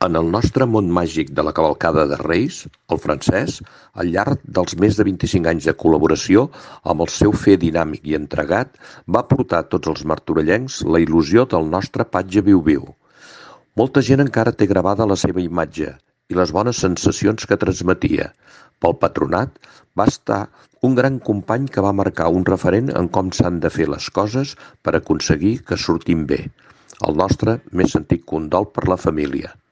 En el nostre món màgic de la cavalcada de Reis, el Francesc, al llarg dels més de 25 anys de col·laboració, amb el seu fer dinàmic i entregat, va portar a tots els martorellencs la il·lusió del nostre patge viu-viu. Molta gent encara té gravada la seva imatge i les bones sensacions que transmetia. Pel patronat, va estar un gran company que va marcar un referent en com s'han de fer les coses per aconseguir que surtin bé. El nostre més sentit condol per la família.